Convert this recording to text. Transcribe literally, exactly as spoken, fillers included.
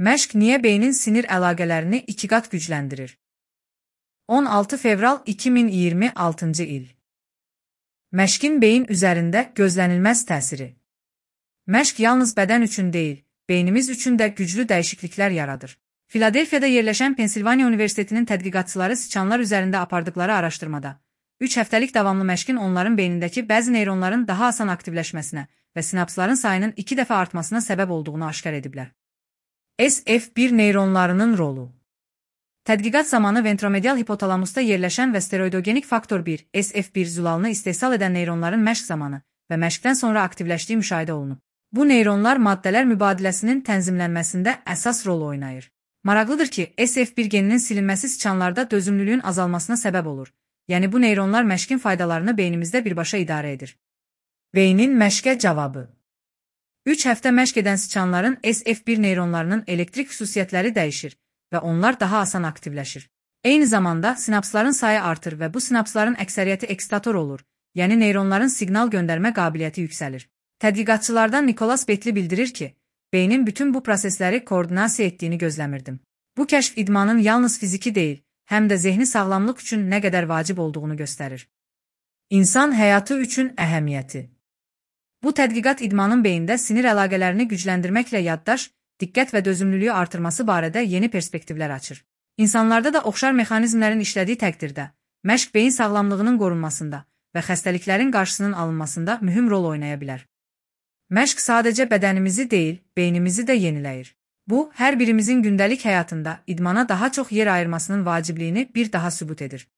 Məşq niyə beynin sinir əlaqələrini iki qat gücləndirir? on altı fevral iki min iyirmi altıncı il. Məşqin beyin üzərində gözlənilməz təsiri. Məşq yalnız bədən üçün deyil, beynimiz üçün də güclü dəyişikliklər yaradır. Filadelfiyada yerləşən Pensilvaniya Universitetinin tədqiqatçıları siçanlar üzərində apardıqları araşdırmada, üç həftəlik davamlı məşqin onların beynindəki bəzi neyronların daha asan aktivləşməsinə və sinapsların sayının iki dəfə artmasına səbəb olduğunu aşkar ediblər. S F bir neyronlarının rolu. Tədqiqat zamanı ventromedial hipotalamusda yerləşən və steroidogenik faktor bir S F bir zülalını istehsal edən neyronların məşq zamanı və məşqdən sonra aktivləşdiyi müşahidə olunub. Bu neyronlar maddələr mübadiləsinin tənzimlənməsində əsas rol oynayır. Maraqlıdır ki, S F bir geninin silinməsi siçanlarda dözümlülüyün azalmasına səbəb olur. Yəni bu neyronlar məşqin faydalarını beynimizdə birbaşa idarə edir. Beynin məşqə cavabı. üç həftə məşq edən siçanların S F bir neyronlarının elektrik xüsusiyyətləri dəyişir və onlar daha asan aktivləşir. Eyni zamanda sinapsların sayı artır və bu sinapsların əksəriyyəti ekstator olur, yəni neyronların siqnal göndərmə qabiliyyəti yüksəlir. Tədqiqatçılardan Nikolas Betli bildirir ki, beynin bütün bu prosesləri koordinasiya etdiyini gözləmirdim. Bu kəşf idmanın yalnız fiziki deyil, həm də zehni sağlamlıq üçün nə qədər vacib olduğunu göstərir. İnsan həyatı üçün əhəmiyyəti. Bu tədqiqat idmanın beyində sinir əlaqələrini gücləndirməklə yaddaş, diqqət və dözümlülüyü artırması barədə yeni perspektivlər açır. İnsanlarda da oxşar mexanizmlərin işlədiyi təqdirdə, məşq beyin sağlamlığının qorunmasında və xəstəliklərin qarşısının alınmasında mühüm rol oynaya bilər. Məşq sadəcə bədənimizi deyil, beynimizi də yeniləyir. Bu, hər birimizin gündəlik həyatında idmana daha çox yer ayırmasının vacibliyini bir daha sübut edir.